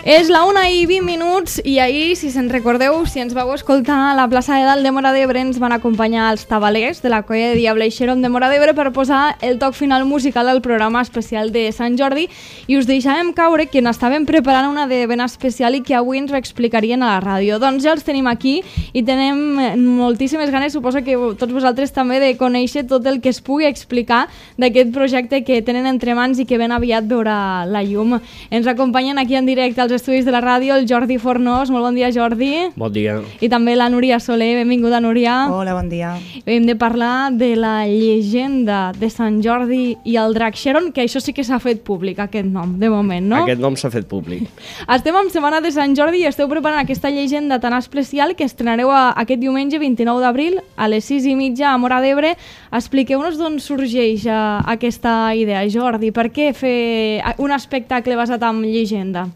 És la 1:20 i ahir, si se'n recordeu, si ens vau escoltar a la plaça de Dalt de Móra d'Ebre, ens van acompanyar els tabalers de la colla de Diable i Xeron de Móra d'Ebre per posar el toc final musical al programa especial de Sant Jordi, i us deixàvem caure que n'estàvem preparant una de ben especial i que avui ens ho explicarien a la ràdio. Doncs ja els tenim aquí i tenem moltíssimes ganes, suposo que tots vosaltres també, de conèixer tot el que es pugui explicar d'aquest projecte que tenen entre mans i que ben aviat veurà la llum. Ens acompanyen aquí en directe als estudis de la ràdio el Jordi Fornós. Molt bon dia, Jordi. Bon dia. I també la Núria Soler. Benvinguda, Núria. Hola, bon dia. Hem de parlar de la llegenda de Sant Jordi i el Drac Xeron, que això sí que s'ha fet públic, aquest nom, de moment, no? Aquest nom s'ha fet públic. Estem en Setmana de Sant Jordi i esteu preparant aquesta llegenda tan especial que estrenareu aquest diumenge 29 d'abril a les 6:30 a Móra d'Ebre. Expliqueu-nos d'on sorgeix aquesta idea, Jordi. Per què fer un espectacle basat en llegenda?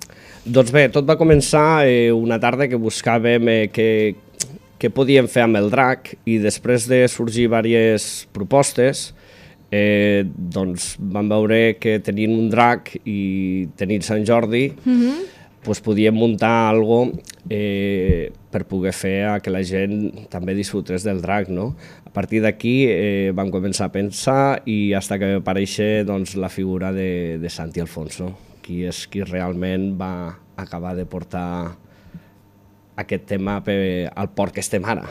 Doncs bé, tot va començar una tarda que buscàvem què podíem fer amb el drac, i després de sorgir diverses propostes, doncs vam veure que tenint un drac i tenint Sant Jordi, doncs podíem muntar alguna cosa per poder fer que la gent també disfrutés del drac, no? A partir d'aquí vam començar a pensar i fins que va aparèixer doncs, la figura de Santi Alfonso, qui és qui realment va acabar de portar aquest tema al port que estem ara.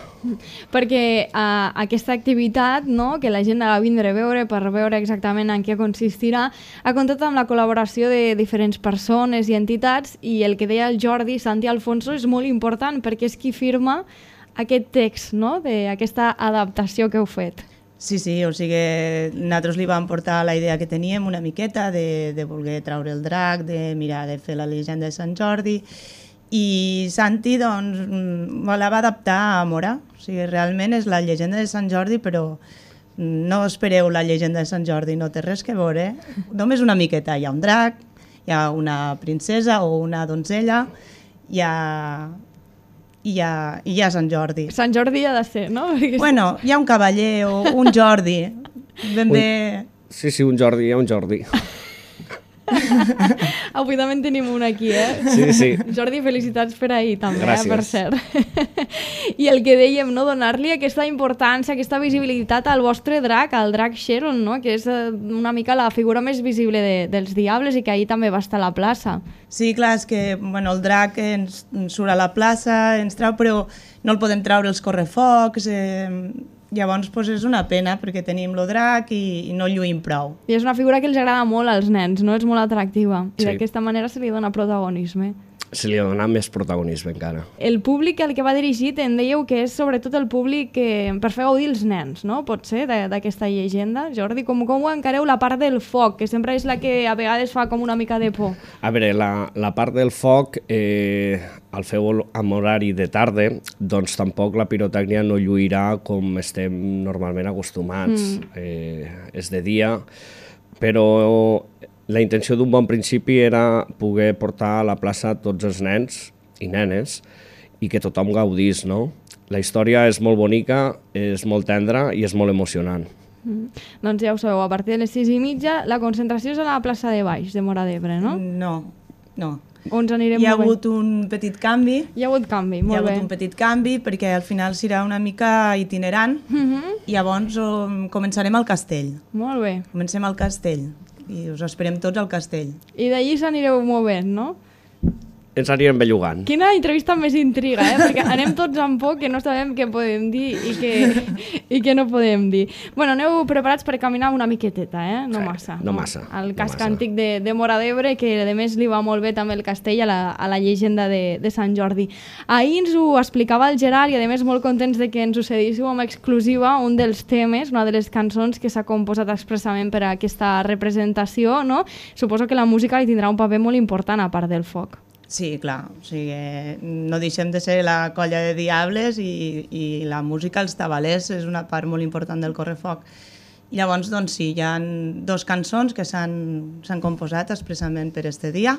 Perquè aquesta activitat, no, que la gent ha de vindre a veure per veure exactament en què consistirà, ha comptat amb la col·laboració de diferents persones i entitats, i el que deia el Jordi, Santi Alfonso, és molt important perquè és qui firma aquest text, no?, d'aquesta adaptació que heu fet. Sí, o sigui, nosaltres li vam portar la idea que teníem una miqueta de voler traure el drac, de mirar de fer la llegenda de Sant Jordi, i Santi doncs, la va adaptar a Móra. O sigui, realment és la llegenda de Sant Jordi, però no espereu la llegenda de Sant Jordi, no té res que veure. Només una miqueta, hi ha un drac, hi ha una princesa o una donzella, i hi ha Sant Jordi. Sant Jordi ha de ser, no? Bueno, hi ha un cavaller o un Jordi. Ben bé... Sí, un Jordi, hi ha un Jordi. Avui també en tenim un aquí, Sí. Jordi, felicitats per ahir també, gràcies. Per cert. I el que dèiem, no?, donar-li aquesta importància, aquesta visibilitat al vostre drac, al Drac Xeron, no?, que és una mica la figura més visible dels Diables i que ahir també va estar a la plaça. Sí, clar, és que el drac ens surt a la plaça, ens trau, però no el podem traure els correfocs, llavors és una pena perquè tenim el drac i no lluïm prou. I és una figura que els agrada molt als nens, no? És molt atractiva. I Sí. d'aquesta manera se li dona protagonisme. Se li ha donat més protagonisme encara. El públic al que va dirigit, en dèieu que és sobretot el públic per fer gaudir els nens, no? Pot ser, d'aquesta llegenda. Jordi, com ho encareu la part del foc, que sempre és la que a vegades fa com una mica de por? A veure, la part del foc, al fer-ho amb horari de tarda, doncs tampoc la pirotècnia no lluirà com estem normalment acostumats. És de dia, però la intenció d'un bon principi era poder portar a la plaça tots els nens i nenes i que tothom gaudís, no? La història és molt bonica, és molt tendra i és molt emocionant. Doncs ja ho sabeu, a partir de les 6:30 la concentració és a la plaça de Baix de Móra d'Ebre, no? No. On ens anirem Hi ha movent? hagut un petit canvi. Hi ha hagut canvi, molt bé. Hi ha hagut un petit canvi perquè al final serà una mica itinerant i llavors començarem al castell. Molt bé. Comencem al castell i us esperem tots al castell. I d'allí s'anireu movent, no? Ens anirem bellugant. Quina entrevista més intriga, perquè anem tots amb por que no sabem què podem dir i què no podem dir. Bueno, aneu preparats per caminar una miqueteta, no massa. No massa. El casc antic de Móra d'Ebre, que a més li va molt bé també el castell a la llegenda de Sant Jordi. Ahir ens ho explicava el Gerard i a més molt contents de que ens ho cedíssiu amb exclusiva un dels temes, una de les cançons que s'ha composat expressament per a aquesta representació, no? Suposo que la música hi tindrà un paper molt important a part del foc. Sí, clar, o sigui, no deixem de ser la colla de Diables i la música, els tabalers, és una part molt important del correfoc. I llavors, doncs sí, hi ha 2 cançons que s'han composat expressament per este dia,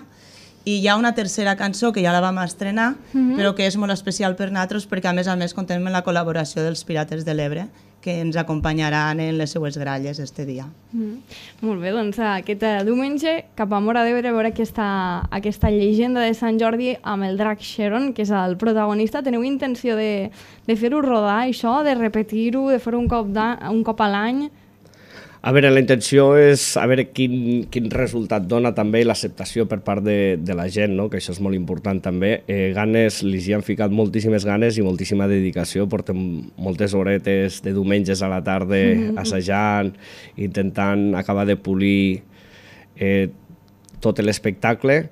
i hi ha una tercera cançó que ja la vam estrenar, però que és molt especial per nosaltres perquè a més contem amb la col·laboració dels Pirates de l'Ebre, que ens acompanyaran en les seues gralles este dia. Molt bé, doncs aquest diumenge cap a Móra d'Ebre a veure aquesta llegenda de Sant Jordi amb el drac Xeron, que és el protagonista. Teniu intenció de fer-ho rodar, això, de repetir-ho, de fer-ho un cop a l'any? A veure, la intenció és a veure quin resultat dona també l'acceptació per part de la gent, no? Que això és molt important també. Ganes, li hi han ficat moltíssimes ganes i moltíssima dedicació. Portem moltes horetes de diumenges a la tarda assajant, intentant acabar de polir tot l'espectacle,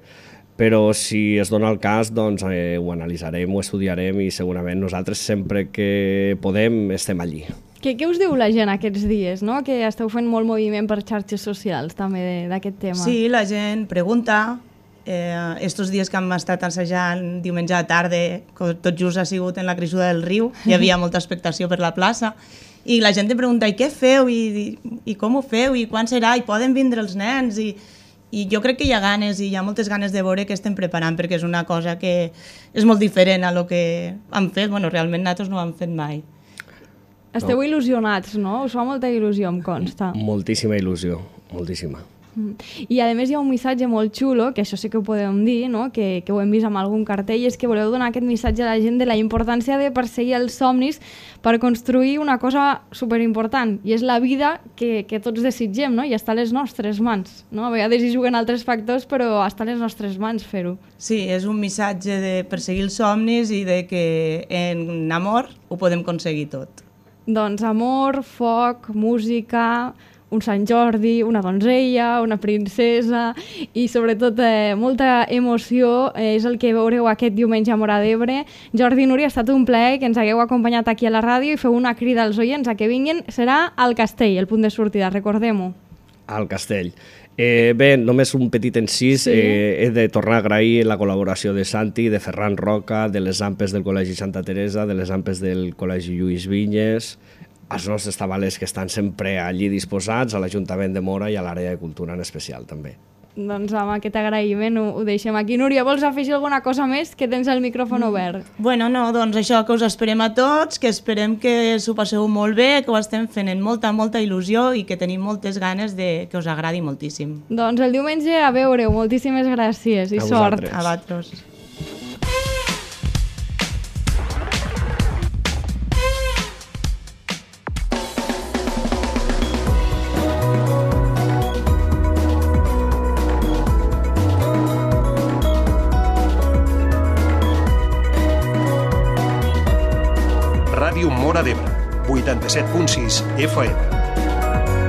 però si es dona el cas, doncs ho analitzarem, ho estudiarem i segurament nosaltres sempre que podem estem allí. Què us diu la gent aquests dies, no? Que esteu fent molt moviment per xarxes socials també d'aquest tema. Sí, la gent pregunta. Estos dies que hem estat assajant diumenge a la tarda, tot just ha sigut en la creixuda del riu, hi havia molta expectació per la plaça, i la gent te pregunta, i què feu, i com ho feu, i quan serà, i poden vindre els nens, i jo crec que hi ha ganes, i hi ha moltes ganes de veure què estem preparant, perquè és una cosa que és molt diferent a lo que hem fet. Bueno, realment nosaltres no ho hem fet mai. Esteu il·lusionats, no? Us fa molta il·lusió, em consta. Moltíssima il·lusió, moltíssima. I a més hi ha un missatge molt xulo, que això sí que ho podem dir, no? que ho hem vist amb algun cartell, és que voleu donar aquest missatge a la gent de la importància de perseguir els somnis per construir una cosa superimportant, i és la vida que tots desitgem, no? I està a les nostres mans. No? A vegades hi juguen altres factors, però està a les nostres mans fer-ho. Sí, és un missatge de perseguir els somnis i de que en amor ho podem aconseguir tot. Doncs amor, foc, música, un Sant Jordi, una donzella, una princesa i sobretot molta emoció és el que veureu aquest diumenge a Móra d'Ebre. Jordi i Núria, ha estat un plaer que ens hagueu acompanyat aquí a la ràdio i feu una crida als oients a que vinguin. Serà al Castell, el punt de sortida, recordem-ho. Al Castell. Bé, només un petit encís. He de tornar a agrair la col·laboració de Santi, de Ferran Roca, de les AMPes del Col·legi Santa Teresa, de les AMPes del Col·legi Lluís Vinyes, als nostres tabalers que estan sempre allí disposats, a l'Ajuntament de Móra i a l'àrea de cultura en especial també. Doncs amb aquest agraïment ho deixem aquí. Núria, vols afegir alguna cosa més? Que tens el micròfon obert. Bueno, no, doncs això, que us esperem a tots, que esperem que s'ho passeu molt bé, que ho estem fent amb molta, molta il·lusió i que tenim moltes ganes de que us agradi moltíssim. Doncs el diumenge a veure-ho. Moltíssimes gràcies i sort. A vosaltres. Ràdio Móra d'Ebre, 87.6 FM.